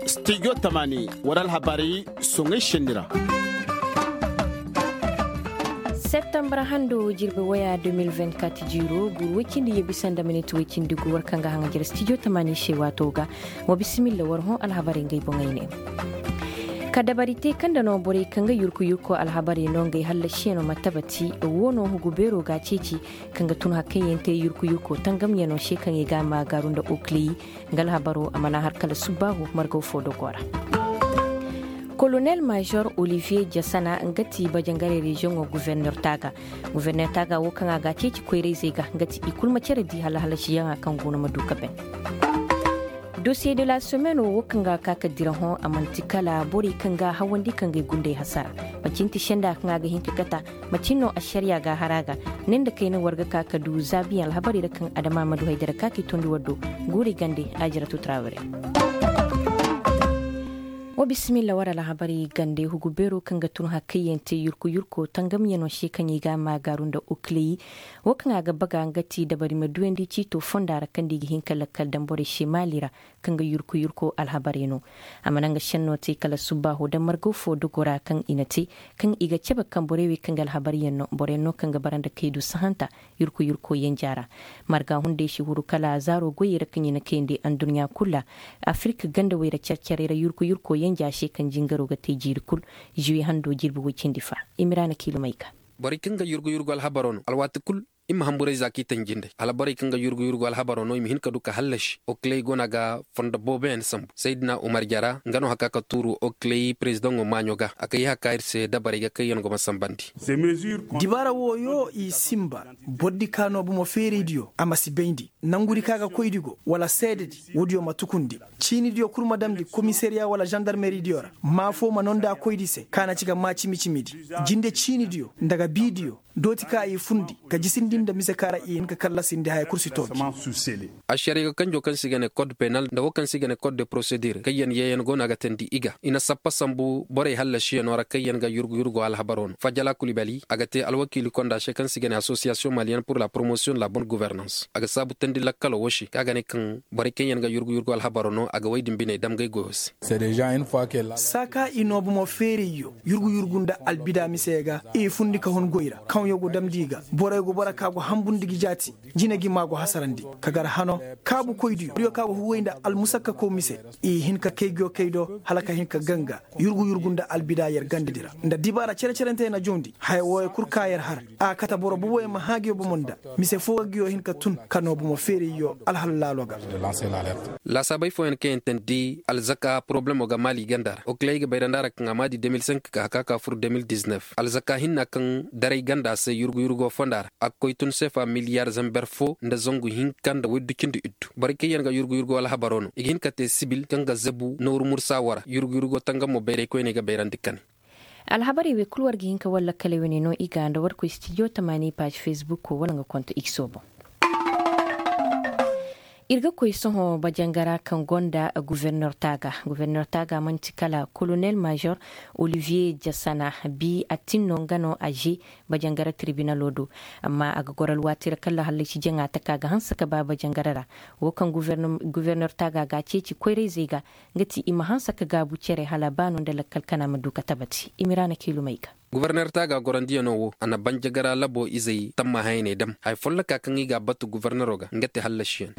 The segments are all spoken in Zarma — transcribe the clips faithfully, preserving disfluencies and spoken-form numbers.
Studio tamaani, war alhabarey soŋay senni ra. Septembre hando jirbi waya deux mille vingt-quatre jiiro, guuru way cindi ye bisa nda miniti way cindi gu, war kaŋ ga haŋajer studio tamaani se waato ga. Wa bisimilla, war hõ alhabarey ngey boŋey ne. Ka dabari te kaŋ da no borey kaŋ ga yurku yurko alhabarey no ngey hallasiyaŋo ma tabati, wo no hugu beero ga ceeci, kaŋ ga tun hakkayyaŋ te yurku yurko tangamyaŋo se kaŋ i ga ma gaaru nda okley. Nga alhabaro a mana har kala subbaahu margaw fo dogo ra. Kolonel major Olivier Jassana nga ti bajangaray reziyoŋo guvernor taaga. Guvernor taaga wo kaŋ a ga a ceeci koyrayzey ga nga ti i kulu ma care di hala halasiyaŋa kaŋ goono ma du ka ben. Dosiye de la semaine wo kaŋ ga ka ka dira hõ a manti kala borey kaŋ ga hawandi kaŋ ga ay gundey hasara. Manci nti senda kaŋ a ga hin ka kata. Macin no ašariya ga hara ga ne nda kayna war ga ka ka du zaabiyaŋ alhabarey ra kaŋ adama ma du haydara ka k'i tondi war do. Guuri gande ajira tutraawere. Wa bisimilla war alhabarey gande hugu beero kaŋ ga tun hakkayyaŋ te yurku yurko tangamyaŋo se kaŋ i ga ma gaaru nda okley. Wo kaŋ a ga baga nga ti dabari ma duyandi ciito fonda ra kaŋ da i ga hin ka lakkal daŋ borey se maali ra. Kaŋ ga yurku yurko alhabarey no. A mana nga senno te kala subbaaho da margaw fo dogo ra kaŋ i na te kaŋ i ga cabe kaŋ borey wey kaŋ ga alhabaryaŋ no borey no kaŋ ga bara nda kaydu sahanta. Yurku yurko yanja ra marga hunday si huru kala zaaro goyey ra kaŋ i na kayandi anduɲɲa kulu ra. Afirka gandawey ra care-carey ra yurku yurko yanja se kaŋ jingaro ga te jiiri kulu. Zuwe hando jirbi way cindi fa. Imiraana kiilumay ga. Borey kaŋ ga yurgu yurgu alhabaro no alwaati kulu. I ma hamburay za kaŋ i tanji nd'ey hala borey kaŋ ga yurgu yurgu alhabaro no i ma hin ka du ka hallasi okley go no a ga fondo booboyaŋ sambu saydina umar jara nga no haka ka tuuru okley perezidaŋo maaɲo ga a kay haka iri se dabarey ga kaŋ yaŋ go ma sambandi. Dibaara wooyo i simba. Boro di ka no bomo feeraydiyo a ma si bayndi. Nangu di ka ga koy di go wala seede di woodiyo ma tukundi. Ciini diyo kulu ma damndi komisariya wala zandarmeri diyo ra maa fo ma nonda koy di se ka na ci ga maa cimi cimi di. Jinde ciini diyo nda ga bii diyo dooti ka i fundi ka jisindi nda mise ka ra i hin ka kallasindi haya kulu si toobi. Ašariya ga kanjo kaŋ se i ga ne kod penal nda wo kaŋ se i ga ne kod de porosedir kaŋ yaŋ yeeyaŋ go no a ga teendi i ga i na sappa sambu borey hallasiyaŋo ra kaŋ yaŋ ga yurgu yurgo alhabaro no fajala kulibali a ga te alwakiili konda se kaŋ se i ga ne asosiyasiyoŋ maliyaŋ pur la poromosiyoŋ de la bon guvernans a ga saabu teendi lakkalo wo se kaŋ a ga ne kaŋ borey kaŋ yaŋ ga yurgu yurgo alhabaro no a ga way din biney dam gay goyo se. Saaka i no bomo feerayyo yurgu yurgu nda albida mise ga i fundi ka hun goy ra kaŋ yo go damndi i ga borey go bora ka go hambundi ga jaati. Jine gi ma go hasarandi ka gar hano kaabu koy diyo diyo ka go huway nda almusakka kow mise i hin ka kay goyo kay do hala ka hin ka ganga yurgu yurgu nda albida yer ganda di ra nda dibaara cere-cerante na jawndi haya wooyo kulu ka yer har a kate boro boboyaŋ ma hã goyo bomo nda mise fo ga goyo hin ka tun ka no bomo feerayyo alhala laalo ga. Laasaabey fooyaŋ kaŋ yaŋ teendi alzaka porobalemo ga maali ganda ra okley ga bayrandi a ra kaŋ a ma di deux mille cinq ka haka ka fur deux mille dix-neuf alzaka hinna kaŋ daray ganda se yurgu yurgo fonda ra a ga koy tun seefa miliyar zamber fo nda zangu hinka nda waydu cindi iddu borey kaŋ yaŋ ga yurgu yurgo alhabaro no i ga hin ka te sibil kaŋ ga zabu nooru mursa wo ra yurgu yurgo tangamo bayray koyney ga bayrandi kane. Alhabarey wey kulu war ga hin ka war lakkaley wane no i ga nda war koy stijo tamaani paaz fesbukko wala nga konto ikso boŋ. Iri ga koy sohõ bajangara kaŋ gonda guvernor taaga guvernor taaga manti kala kolonel major olivier jasana bi a tin no nga no a ze bajangara tirbinalo do. Amma a ga goro alwaati ra kala hallasi jaŋa taka ga hanse ka ba bajangara ra. Wo kaŋ guvernor taaga ga a ceeci koyrayzey ga nga ti i ma hanse ka gaabu cere hala ba no nda lakkal kana ma du ka tabati i ma iraana kiilumey ga. Guberner taaga gorandiyaŋo wo a na banjagara labo izey tamma hayaney dam haya folloka kaŋ i ga a batu gubernero ga nga ti hallasiyaŋ.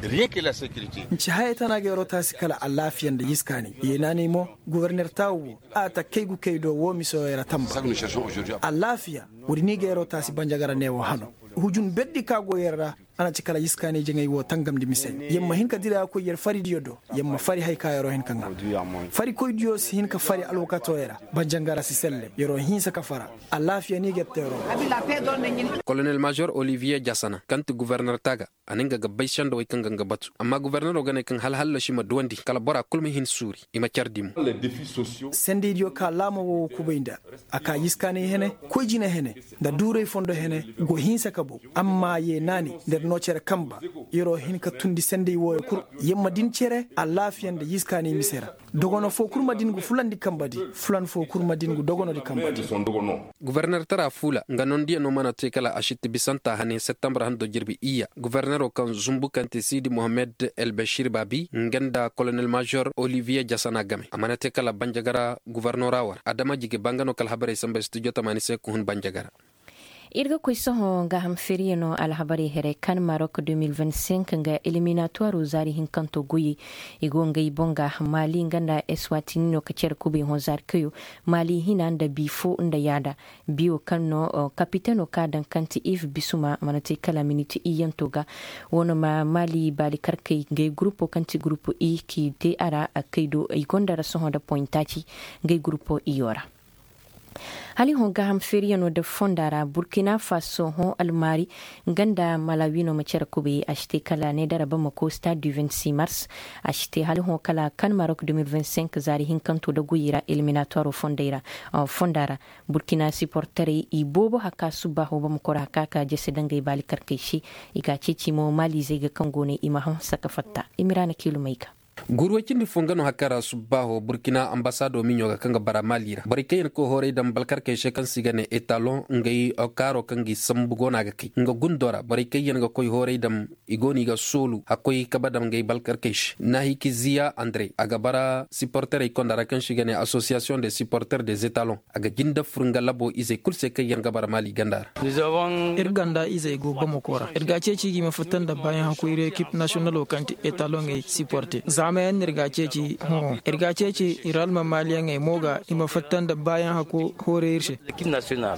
Nci hayey tana ga yaro taasi kala alaafiya nda yiskaanay yeenaanay mo. Guberner taawo wo a ta kay gu kay do wo misoyey ra tamba. Alaafiya wo- din i ga yaro taasi banjagara neewo hano. Hujun berdi ka go yer ra a na ci kala yiskaanay jaŋay wo tangamndi mise. Yer ma hin ka dira koy yer faridiyo do. Yer ma fari hari ka yero hin ka ŋwa. Farikoydiyo si hin ka fari alwakatoyey ra. Banjangara si selle yero hinsa ka fara. Alaafiya no i ga yer teero. Kolonel major olivier jasana kaŋ ti guberner taaga a ne nga ga bay sendawey kaŋ ga nga batu amma gubernero ga ne kaŋ hala hallasi ma duwandi kala bora kulu ma hin suuri i ma care di mo. Sendaydiyo ka laama wo kubay nda a ka yiskaanay hene, koy jine hene, nda duuray fondo hene go hinsa ka bow. Amma ye naani nda iri no cere kamba. Iro hin ka tundi senday wooyo kulu. Yer ma din cere alaafiya nda yiskaanay mise ra. Dogono fo kulu ma din gu fulandi kamba di. Fulan fo kulu ma din gu dogonodi kamba di. Guberner tara fuula nga nondiyaŋo mana te kala a sitti bisanta hane septembre hando jirbi iyya guberner. Kaŋ zumbu kaŋ te siidi mohammed el bashir baabi nga nda kolonel major olivier jasana game a mana te kala banjagara guvarnora wara adama jige ba nga no kala habarey samba studio tamaani se ka hun banjagara. Iri ga koy sohõ gaaham feeriyaŋo alhabarey here kan marok deux mille vingt-cinq nga eliminatoiro zaari hinkanto goyey. I go ngey boŋ ga maali nga nda eswatini no ka care kubay hõ zaari kayo maali hina nda bi fo nda yaada. Biyo kaŋ no kapiteno ka daŋ kaŋ ti iv bisuma mana te kala miniti iyyanto ga. Wo no ma maali baali karkey ngey gurupo kaŋ ti gurupo i k'i te a ra. Kay do i gonda ra sohõ nda poyintaaci ngey gurupo iyo ra. Hala i hõ gaaham feeriyaŋo da fonda ra burkina faso hõ almaari nga nda malawi no ma care kubay a si te kala ne dara bamako stade du vingt-six mars. A si te hala i hõ kala kan marok deux mille vingt-cinq zaari hinkanto da goyey ra eliminatoiro fondey ra. Fonda ra burkina siporterey i boobo haka subbaaho bamako ra haka ka jese dangey baali karkey se. I ga ceeci mo maalizey ga kaŋ go ne i ma hanse ka fatta i ma ra na kiilumey ga. Guuru way cindi fo nga no hari kaŋ ra subbaaho burkina ambasaado miɲo ga kaŋ ga bara maali ra borey kaŋ yaŋ ga koy hooray daŋ balkarkey se kaŋ se i ga ne etaloŋ ngey kaaro kaŋ ga i sambu go no a ga kay nga gundo ra borey kaŋ yaŋ ga koy hooray daŋ. I go no i ga soolu hakkoy kabe daŋ ngey balkarkey se naahikiziya andre a ga bara siporterey konda ra kaŋ se i ga ne asosiyasiyoŋ de siporter de etaloŋ. A ga jinde fur nga labo izey kulu se kaŋ yaŋ ga bara maali ganda ra. Iri ganda izey go bamako ra iri ga a ceeci ga i ma fatta nda baayaŋ hakku iri ekip nasiyonalo kaŋ ti etaloŋey siporte zaama yaŋ no iri ga a ceeci. Hõ iri ga a ceeci iri almamaaliyaŋey mo ga i ma fatta nda baayaŋ hakku hooray iri se.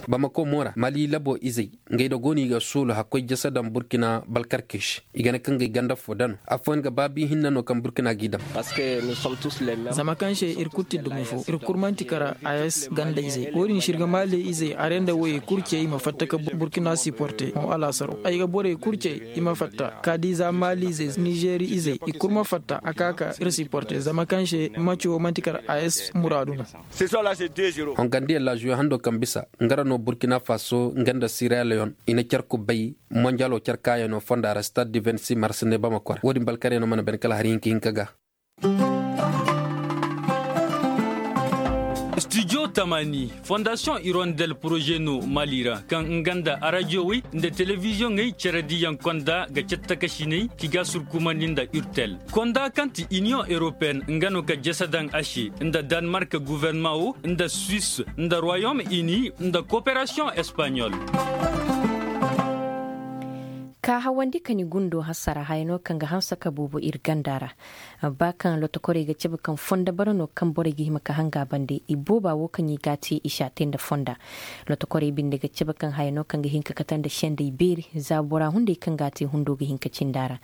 Bamako mo ra maali labo izey ngey da go no i ga soolu hakkoy jese daŋ burkina balkarkey se. I ga ne kaŋ ga i ganda fo daŋ no afooyaŋ ga baabi hinne no kaŋ burkina g'i daŋ. Zama kaŋ se iri kulu ti dumi fo iri kulu manti kara a s ganda izey wo- din se iri ga maali izey are nda woyey kulu ce i ma fatta ka burkina siporte hõ alaasaro ay ga borey kulu ce i ma fatta ka di za maali izey nizeeri izey i kulu ma fatta a ka ka iri siporte zama kaŋ se maco manti kara a s muraadu no. Hongandiyaŋ laazuyo hando kaŋ bisa nga ra no burkina faso nga nda sira leon i na care kubbay monjalo care kaayano fonda ra stade du vingt-six mars ne bamako ra wo- din balkaryaŋo mana bane kala hari hinka hinka ga. Studio tamaani fondasiyoŋ irondel poroze no maali ra kaŋ nga nda arajiyowey nda telebiziyoŋey care diyaŋ konda ga care takasiney k'i ga surkumandi nda urtel konda kaŋ ti iniyoŋ europeen nga no ga jese daŋ a se nda danmark guverma wo nda suwis nda royom ini nda koperasiyoŋ espaɲol. Ka hawandi ka ni gundo hasara hayano kaŋ ga hanse ka boobo iri ganda ra. Ba kaŋ lotokorey ga cabe kaŋ fonda bara no kaŋ borey ga hima ka hanga bande i booba wo kaŋ i ga a te i si a te nda fonda. Lotokorey binde ga cabe kaŋ hayano kaŋ ga hin ka kate nda sendey beeri za bora hunday kaŋ ga a te hundo ga hin ka cindi a ra.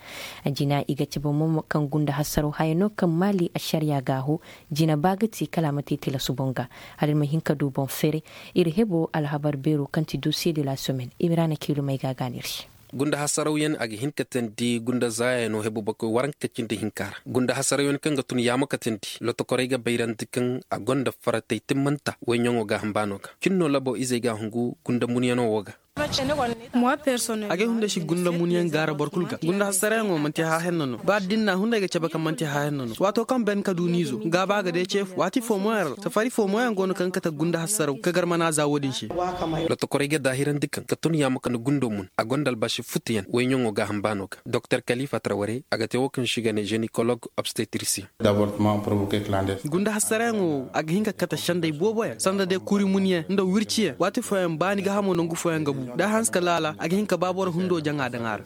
Jina i ga cabe mo kaŋ gunda hasaro hayano kaŋ maali ašariya ga a ho. Jina ba ga te kala a ma te tilasu boŋ ga hala iri ma hin ka du boŋ feere. Iri hebo alhabar beero kaŋ ti dosiye de la semaine i ma ra na kiilumey ga a ga no iri se. Gunda hasarawyaŋ a ga hin ka teendi gunda zaayano hebo bakoy waranka cindi hinka ra gunda hasarawyaŋ kaŋ ga tun yaamo ka teendi lotokorey ga bayrandi kaŋ a gonda faratey timmanta wayɲaŋo gaaham baano ga cin no labo izey ga a hungu gunda munyaŋo wo ga. Agay hunday si gunda munyaŋ gaara boro kulu ga gunda hasarayaŋo manti haahenno no ba da ni na hunday ga cabe kaŋ manti haahenno no waato kaŋ ben ka du ni izo gaaba ga day ce fu waati fo mo yaŋ ra safari fo mo yaŋ go no kaŋ ga kate gunda hasaraw ka gar mana za wo- din se. Lotokorey ga daahirandi kaŋ ka tun yaamo kande gundo mun a gonda albaasi futuyaŋ wayɲaŋo gaaham baano ga doktor kalifa traware a ga te wo kaŋ se i ga ne zenikolog obstetricien. Gunda hasarayaŋo wo a ga hin ka kate sendey boobo yaŋ sanda day kuri munyaŋ nda wirciyaŋ waati fooyaŋ baani gaahamo nangu fooyaŋ ga bu da a hanse ka laala a ga hin ka ba boro hundo jaŋa daŋ a ra.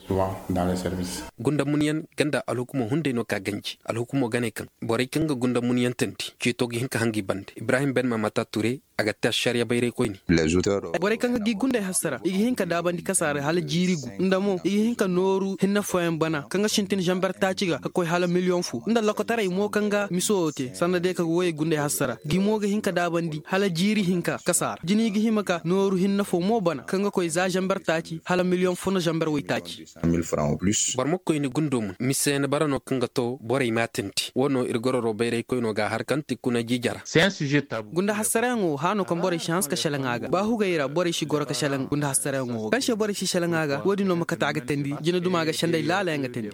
Gunda munyaŋ ganda alhukumo hunday no ka ganji alhukumo ga ne kaŋ borey kaŋ ga gunda munyaŋ teendi ceeto ga hin ka hanga i bande ibrahim ben mamata ture. A ga te ašariya bayraykoyne. Borey kaŋ ga gi gundey hassara i ga hin ka daabandi kasaara hala jiiri gu nda mo i ga hin ka nooru hinne fooyaŋ bana kaŋ ga sintin zamber taaci ga ka koy hala miliyoŋ fo nda lokotaray mo kaŋ ga miso wo te sanda day ka ga woyey gundey hassara gi mo ga hin ka daabandi hala jiiri hinka kasaara jina i ga hima ka nooru hinne fo mo bana kaŋ ga koy za zamber taaci hala miliyoŋ fo nda zamber waytaaci. Boro ma koy ni gundo mun mise ni bara no kaŋ ga to borey ma tindi wo no iri gororo bayraykoyno ga a har kaŋ ti kuna jiijara. Gunda hassarayaŋo wo hano kaŋ borey si hanse ka selaŋ a ga ba hugey ra borey si goro ka selaŋ gunda hassarayaŋo wo kaŋ se borey si selaŋ a ga wo- din no ma kate a ga teendi jina duma ga sendey laala yaŋ ga teendi.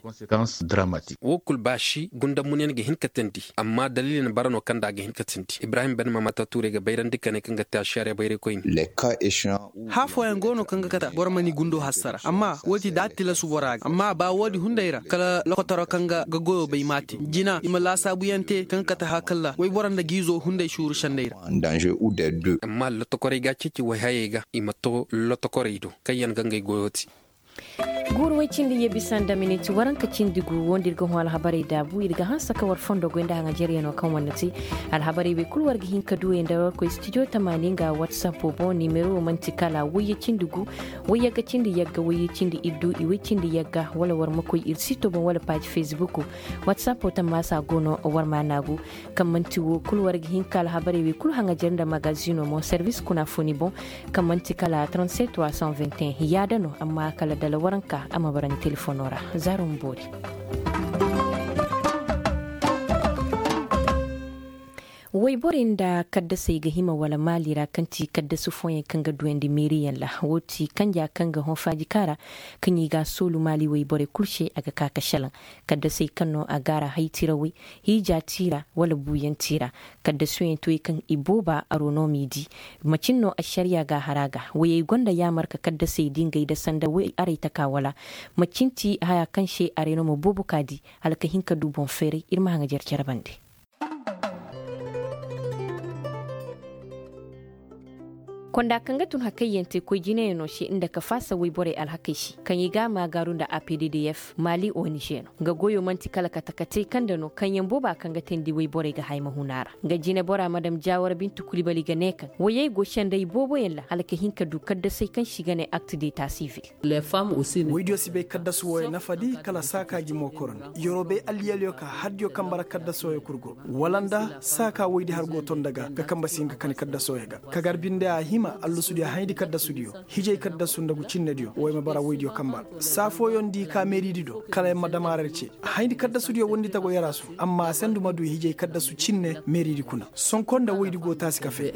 Wo kulu baasi gunda munyaŋ ga hin ka teendi amma daliili ni bara no kaŋ da a ga hin ka teendi ibrahim ben mamata tuurey ga bayrandi kane kaŋ ga te ašariya bayraykoyne. Hã fooyaŋ go no. no kaŋ ga kate boro ma ni gundo hassara amma wo- din da a tilasu bora ga amma ba wo- din hunday ra kala lokotoro kaŋ ga goyo bay ma a te jina i ma laasaabuyaŋ te kaŋ ga kate haakalla wayboro nda giizo hunday suuru sendey ra. Amma lotokorey ga a ceeci wayhayey ga i ma to lotokorey do kaŋ yaŋ ga ngey goyo te. Guuru way cindi ye bisa nda miniti waranka cindi gu wo nda iri ga hõ alhabarey daabu iri ga hanse ka war fondo goy nda haŋajeryaŋo kaŋ war na te. Alhabarey wey kulu war ga hin ka du ye nda war koy studio tamaani nga whatsapp boŋ nimero wo manti kala wayye cindi gu, wayye ga cindi yagga wayye cindi iddu i way cindi yagga wala war ma koy iri sito boŋ wala paaji facebook. Whatsapp tammaasa go no war ma naagu. Kaŋ manti wo kulu war ga hin ka alhabarey wey kulu haŋajer nda magazino mo servis kuna fo ni boŋ. Kaŋ manti kala trente-sept trois cent vingt et un yaada no amma kala dala waranka a ma bara ni telefono ra. Zaaro ma boori. Wayborey nda kaddasey ga hima wala maali ra kaŋ ti kaddasu fooyaŋ kaŋ ga duyandi meeriyaŋ ra wo ti kanja kaŋ ga hõ faaji kaara. Kaŋ i ga a soolu maali wayborey kulu se a ga ka ga salaŋ kaddasey kaŋ no a gaara hay tirawey, hiija tiira wala buuyaŋ tiira. Kaddasuyaŋ toy kaŋ i booba aro no m'i di. Macin no ašariya ga a har a ga wayey gonda yaamar ka kaddasey di ngey da sanda way arey taka wala? Macin ti haya kaŋ se arey no ma boobo ka di hala ka hin ka du boŋ feeray iri ma haŋajer care bande. Konda kaŋ ga tun hakayyaŋ te koy jinayaŋo se nda ka faasa wayborey alhakey se kaŋ i ga a maagaaru nda a p d d f maali o n g no. Nga goyo manti kala kate kate kaŋ nda no kaŋ yaŋ booba kaŋ ga teendi wayborey ga hay ma hun a ra. Nga jine bora madam jaawara bintu kulibali ga ne kaŋ wayey go senday booboyaŋ ra hala ka hin ka du kaddasey kaŋ se i ga ne akt deta sivil. Waydiyo si bay kaddasu wooyaŋ nafa di kala saaka jimo korona yoro bay alliyaliyo ka hardiyo kambe ra kaddasu wooyaŋ kulu go wala nda saaka waydi har go to nda ga ga kambe si hin ka kani kaddasu wooyaŋ ga. Ka gar binde a hima allusudiyo hayndi kaddasu diyo hijay kaddasu nda gu cinne diyo wo ay ma bara waydiyo kambe ra. Saa fooyaŋ di ka meeridi do kala yaŋ ma damarar ce. Hayndi kaddasu diyo wandi tago yarasu amma a sandu ma du hijay kaddasu cinne meeridi kuna sonko nda waydi go taasi ka fay.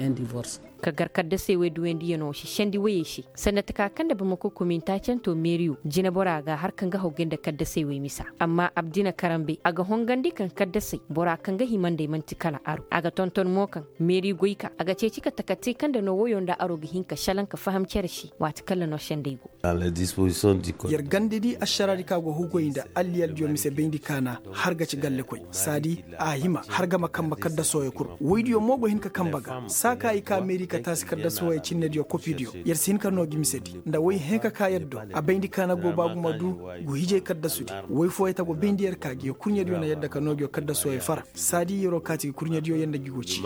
Ka gar kaddasey wey duwandiyano si sendi wayey se sanda taka kaŋ nda bamako kominta canto meeriyo jine bora ga har kaŋ ga hawgay nda kaddasey wey misa. Amma abdina karambe a ga hongandi kaŋ kaddasey bora kaŋ ga himandey manti kala aro a ga tonton mo kaŋ meeri goy ka a ga ceeci ka taka te kaŋ nda no wayo nda aro ga hin ka salaŋ ka faham care se waati kaŋ ra no sendey go. Yer gandedi ašaraadi ka go hugoy nda alliyaldiyo mise bayndi kaana har ga ci gallekoy saadi a hima har ga ma kambe kaddasooyo kulu. Woydiyo mo go hin ka kambe ga saa ka i ka meeri ka taasi kaddasooyo cinnediyo kopidiyo yer si hin ka no gi misedi nda woy hẽ ka ka yer do. A bayndi kaana go ba gumo du gu hijay kaddasudi woy fooyey ta go bayndi yer ka gi kurɲediyo na yadda ka no gi kaddasooyo fara saadi yero kaati gi kurɲediyo yer nda gi go ci.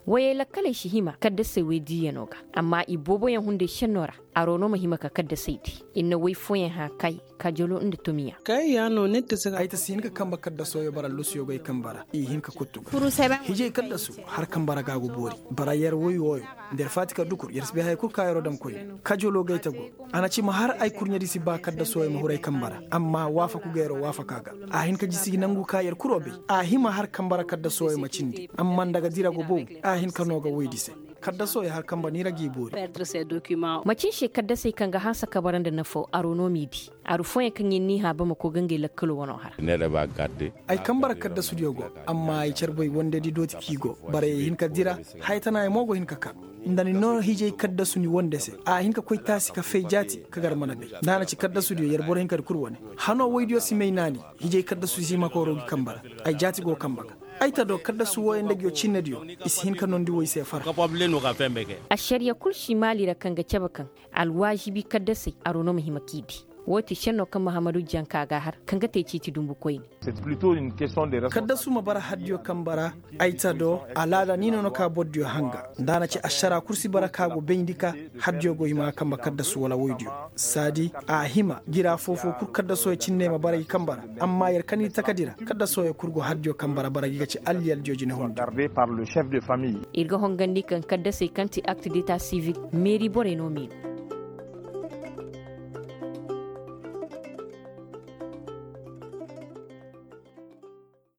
Wayey lakkaley si hima kaddasey wey diiyano ga amma i booboyaŋ hunday senno ra. Aro no ma hima ka kaddasey di. Iri na way fooyaŋ hã kay kajolo nda tomiya. Ay ta si hin ka kambe kaddasoyo bara lusuyo goy kambe ra i hin ka kuttu ga. Hijay kaddasu har kambe ra ga go boori. Bara yer woy wooyo nda yer faati ka dukur yer si bay haya kulu ka yero dam koyne. Kajolo gay ta go. A na ci ma har ay kurɲedi si ba kaddasoyo ma huray kambe ra amma waafaku ga yero waafaka ga. A hin ka jisi nangu ka yer kuro bay. A hima har kambe ra kaddasoyo ma cindi amma nda ga dira go bow. A hin ka no ga woydi se. Kaddasoyo har kambe ni ra g'i boori. Macin se kaddasey kaŋ ga hanse ka bara nda nafo aro no m'i di. Aru fooyaŋ kaŋ yer n'i hã bamako ga ngey lakkalo wano har. Ay kambe ra kaddasudiyo go amma ay care boy wandedi dooti k'i go. Barayey hin ka dira. Haya tanayaŋ mo go hin ka ka. Nda ni no hijay kaddasu ni wande se a hin ka koy taasi ka fay jaati ka gar mana bay. Nda a na ci kaddasudiyo yer boro hin ka di kulu wane. Hano woydiyo si may naani. Hijay kaddasu si hima ka waro gi kambe ra. Ay jaati go kambe ga. Ay ta do kaddasu wooyaŋ nda giyo cinnediyo. I si hin ka nondi woy se fara. Ašariya kulu si maali ra kaŋ ga cabe kaŋ alwaazibi kaddasey aro no ma hima k'i di. Wo ti senno kaŋ mahamadu janka ga har kaŋ ga te ciiti dumbu koyne. Kaddasu ma bara haddiyo kambe ra. Ay ta do alaada ni no no ka bordiyo hanga. Nda a na ci ašara kulu si bara ka go bayndi ka haddiyo go hima ga kambe kaddasu wala woydiyo. Saadi a hima jira foofo kulu kaddasoyo cinne ma bara i kambe ra. Amma yer kaŋ ni takadi ra kaddasoyo kulu go haddiyo kambe ra bara gi ga ci alliyaldiyo jine hundi. Iri ga hongandi kaŋ kaddasey kaŋ ti akt deta sivil meeri borey no m'i no.